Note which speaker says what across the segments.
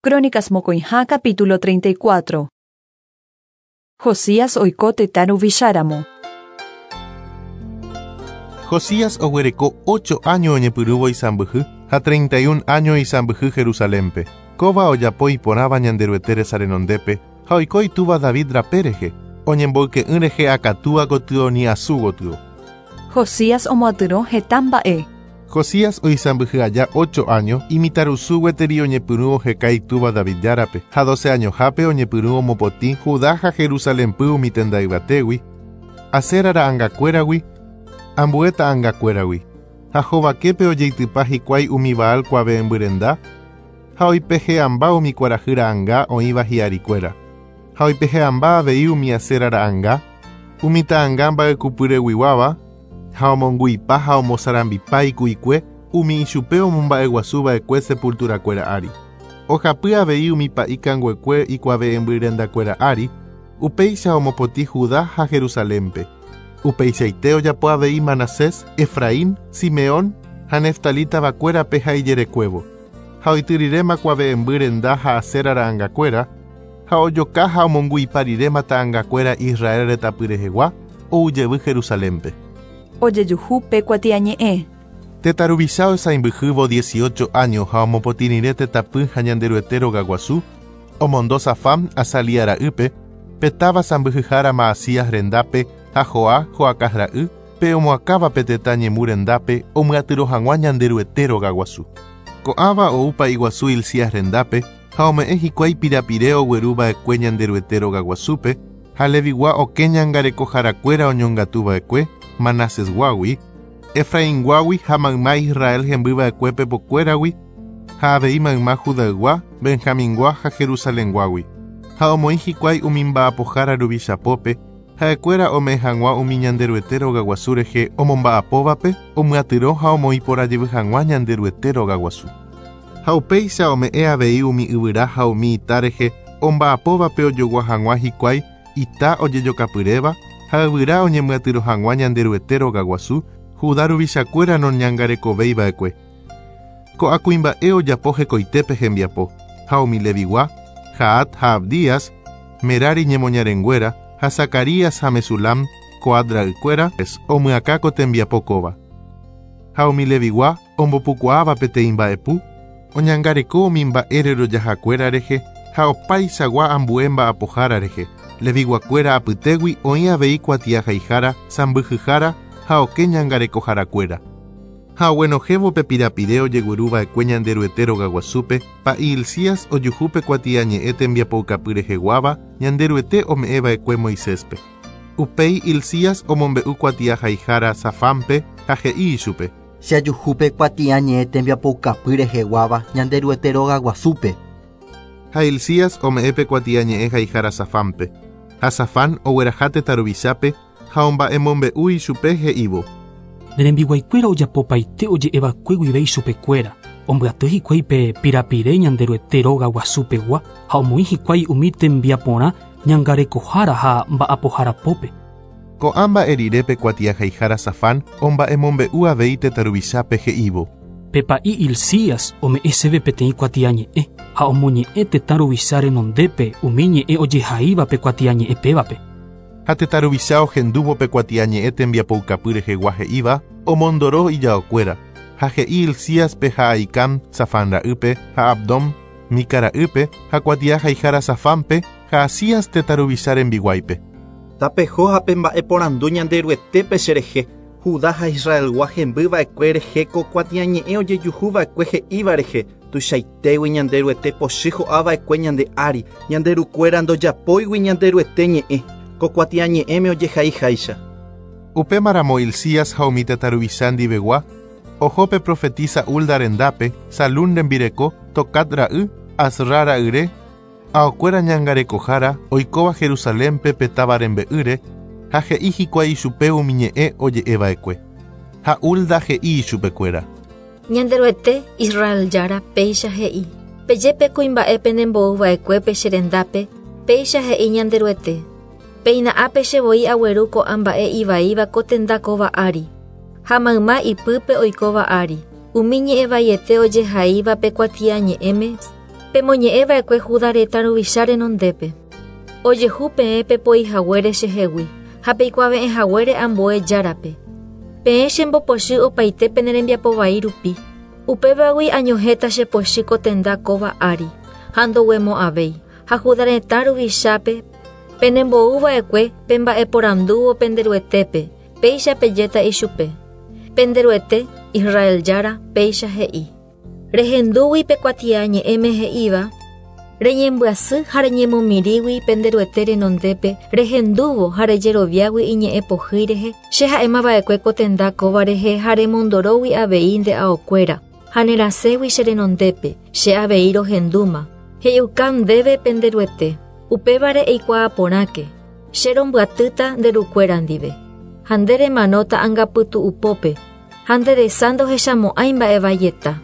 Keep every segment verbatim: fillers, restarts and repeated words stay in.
Speaker 1: Crónicas mokõiha capítulo treinta y cuatro. Josías oiko tetã ruvicháramo.
Speaker 2: Josías oguereko ocho años oñepyrũvo isãmbyhy ha treinta y un años isãmbyhy Jerusalénpe. Kóva ojapo iporãva Ñanderuete resa renondépe ha oiko itúva David rape rehe, oñemboyke'ỹ rehe akatúa gotyo ni asu gotyo.
Speaker 1: Josías omoatyrõ heta mba'e.
Speaker 2: Josías oisãmbyhy aja ocho años imitãrusu gueteri oñepyrũ oheka itúva David Járape, ha doce añohápe oñepyrũ omopotĩ Judá ha Jerusalénpy umi tenda yvatégui, Asera ra'ãngakuéragui, ambue ta'ãngakuéragui. Ha hovaképe ojeitypa hikuái umi Baal kuave'ẽmbyrenda, ha oipehe'ãmba umi kuarahy ra'ãnga oĩva hi'arikuéra. Ha oipehe'ãmba avei umi Asera ra'ãnga, umi ta'ãnga mba'ekupyreguiguáva, ha omongu'ipa ha omosarambipa iku'ikue umi ichupe omomba'eguasuva'ekue sepulturakuéra ári. Ohapy avei umi pa'i kanguekue ikuave'ẽmbyrendakuéra ári, upéicha omopotĩ Judá ha Jerusalénpe. Upeichaite ojapo avei Manasés, Efraín, Simeón ha Neftalí tavakuérape ha ijerekuévo. Ha oityriréma kuave'ẽmbyrenda ha Asera ra'ãngakuéra, ha ojoka ha omongu'ipa riréma ta'ãngakuéra Israel retãpy rehegua, oujevy Jerusalénpe.
Speaker 1: Ojejuhu pe kuatiañe'ẽ.
Speaker 2: Tetã ruvicha oisãmbyhývo dieciocho años ha omopotĩ rire tetãpy ha Ñanderuete rogaguasu, omondo Safán Azalía ra'ýpe, pe táva sãmbyhyhára Maasías rendápe ha Joa Joacás ra'y, pe omoakãva pe tetã ñemu rendápe omyatyrõ hag̃ua Ñanderuete rogaguasu. Ko'ãva ou pa'iguasu Hilcías rendápe ha ome'ẽ hikuái pirapire ogueruva'ekue Ñanderuete rogaguasúpe ha Levigua okẽ ñangarekoharakuéra oñongatuva'ekue Manasesguágui, Efrainguágui ha mayma Israel hembyva'ekue pepokuéragui ha avei mayma Judaygua, Benjamingua ha Jerusalenguágui. Ha omoĩ hikuái umi mba'apohára ruvichapópe, ha'ekuéra ome'ẽ hag̃ua umi Ñanderuete rogaguasu rehe omomba'apóvape, omyatyrõ ha omoĩ porãjevy hag̃ua Ñanderuete rogaguasu. Ha upéicha ome'ẽ avei umi yvyra ha umi ita rehe omba'apóvape ojogua hag̃ua hikuái ita ojejokapyréva ha yvyra oñemyatyrõ hag̃ua Ñanderuete rogaguasu, Judá ruvichakuéra noñangarekovéiva'ekue. Ko'ã kuimba'e ojapo hekoitépe hembiapo, ha umi Levigua, Jahat ha Abdías, Merari ñemoñarenguéra, ha Zacarías ha Mesulam, Coat ra'ykuéra, omyakã ko tembiapo kóva. Ha umi Levigua ombopukuaáva peteĩ mba'epu, oñangareko umi mba'e rerojahakuéra rehe ha opaichagua ambue mba'apohára rehe. Leviguakuéra apytégui oĩ avei kuatiahaihára, sãmbyhyhára ha okẽ ñangarekoharakuéra. Ha oguenohẽvo pe pirapire ojegueruva'ekue Ñanderuete rogaguasúpe, pa'i Hilcías ojuhu pe kuatiañe'ẽ tembiapoukapy reheguáva Ñanderuete ome'ẽva'ekue Moiséspe. Upéi Hilcías omombe'u kuatiahaihára Safánpe ha he'i ichupe.
Speaker 3: Che ajuhu pe kuatiañe'ẽ tembiapoukapy reheguáva Ñanderuete rogaguasúpe.
Speaker 2: Ha Hilcías ome'ẽ pe kuatiañe'ẽ haihára Safánpe. Ha Safán ogueraha tetã ruvichápe ha omba'emombe'u ichupe he'ívo.
Speaker 4: Ne rembiguaikuéra ojapopaite oje'eva'ekue guive ichupekuéra. Ombyaty hikuái pe pirapire Ñanderuete rogaguasupegua ha omoĩ hikuái umi tembiaporã ñangarekohára ha mba'apoharapópe.
Speaker 2: Ko'ã mba'e rire pe kuatiahaihára Safán omba'emombe'u avei tetã ruvichápe he'ívo.
Speaker 4: Pe pa'i Hilcías ome'ẽ chéve peteĩ kuatiañe'ẽ ha omoñe'ẽ tetã ruvicha renondépe umi ñe'ẽ ojehaíva pe kuatiañe'ẽ pévape.
Speaker 2: Ha tetã ruvicha ohendúvo pe kuatiañe'ẽ tembiapoukapy rehegua he'íva, omondoro ijaokuéra. Ha he'i Hilcíaspe ha Ahicam Safán ra'ýpe ha Abdón Mica ra'ýpe ha kuatiahaihára Safánpe ha Asías tetã ruvicha rembiguáipe.
Speaker 5: Tapeho ha pemba'eporandu Ñanderuetépe cherehe, Judá ha Israelgua hembyva'ekue rehe ko kuatiañe'ẽ ojejuhuva'ekue he'íva rehe, tuichaitégui Ñanderuete pochy ho'ava'ekue ñande ári, ñanderukuéra ndojapóigui Ñanderuete ñe'ẽ, ko kuatiañe'ẽme ojehaiháicha.
Speaker 2: Upémaramo Hilcías ha umi tetã ruvicha ndivegua, oho pe profetisa Hulda rendápe, Salún rembireko, Tocat ra'y, Asra ra'yre, aokuéra ñangarekohára oikóva Jerusalénpe pe táva rembe'ýre, ha he'i hikuái ichupe umi ñe'ẽ oje'eva'ekue. Ha Hulda he'i ichupekuéra.
Speaker 6: Ñanderuete Israel Jára péicha he'i. Peje pe kuimba'e penembouva'ekuépe che rendápe, péicha he'i Ñanderuete. Péina ápe che voi agueru ko'ã mba'e ivaíva ko tenda kóva ári. Ha mayma ipype oikóva ári. Umi ñe'ẽ vaiete ojehaíva pe kuatiañe'ẽme. Pemoñe'ẽva'ekue Judá retã ruvicha renondépe. Ojehu peẽ pepoihaguére chehegui ha peikuave'ẽhaguére ambue járape. Peẽ chembopochy opaite pene rembiapo vai rupi. Upévagui añohẽta chepochy ko tenda kóva ári ha ndoguemo'ãvéi. Ha Judá retã ruvichápe penembo'uva'ekue pemba'eporandúvo penderuetépe, péicha pejéta ichupe. Penderuete, Israel Jára, péicha he'i. Rehendúgui pe kuatiañe'ẽme he'íva, reñembyasy ha reñemomirĩgui penderuete renondépe, rehendúvo ha rejeroviágui iñe'ẽ pohýi rehe, che ha'émava'ekue ko tenda kóva rehe ha remondorógui avei nde aokuéra, ha nerasẽgui che renondépe, che avei rohendúma. He'iuka ndéve penderuete, upévare eikuaaporãke, che rombyatýta nde rukuéra ndive. Ha nde remanóta angapytu'upópe, ha nde resa ndohechamo'ãi mba'evaieta.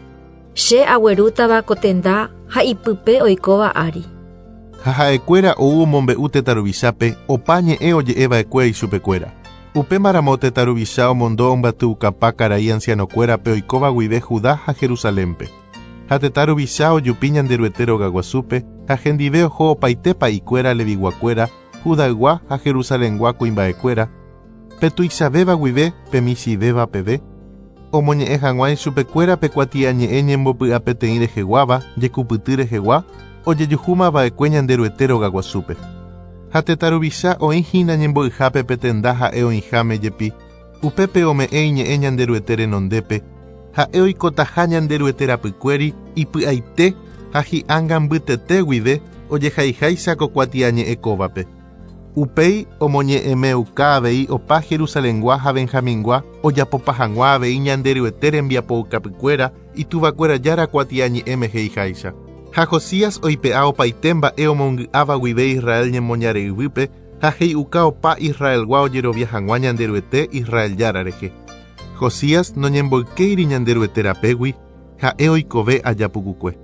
Speaker 6: Che aguerútava ko tenda ha ipype oikóva ári.
Speaker 2: Ha ha'ekuéra ou omombe'u tetã ruvichápe opa ñe'ẽ oje'eva'ekue ichupekuéra. Upémaramo tetã ruvicha omondo ombyatykapa karai ancianokuérape oikóva guive Judá ha Jerusalénpe. Ha tetã ruvicha ojupi Ñanderuete rogaguasúpe ha hendive oho opaite pa'ikuéra leviguakuéra, Judaygua ha Jerusalengua kuimba'ekuéra, pe tuichavéva guive pe michĩvéva peve, omoñe'ẽ hag̃ua ichupekuéra pe kuatiañe'ẽ ñembopy'apeteĩ reheguáva, jekupyty rehegua, ojejuhúmava'ekue Ñanderuete rogaguasúpe. Ha tetã ruvicha oĩhína ñembo'yhápe pe tenda ha'e oĩháme jepi, upépe ome'ẽ iñe'ẽ Ñanderuete renondépe, ha'e oikotaha Ñanderuete rapykuéri ipy'aite ha hi'ánga mbytete guive ojehaiháicha ko kuatiañe'ẽ kóvape. Upéi omoñe'ẽmeuka avei opa Jerusalengua ha Benjamingua ojapopa hag̃ua avei Ñanderuete rembiapoukapykuéra ituvakuéra jára kuatiañe'ẽme he'iháicha. Ha Josías oipe'a opaite mba'e omongy'áva guive Israel ñemoñare yvýpe ha he'iuka opa Israelgua ojerovia hag̃ua Ñanderuete Israel Jára rehe. Josías noñemboykéiri Ñanderuete rapégui ha'e oikove aja pukukue.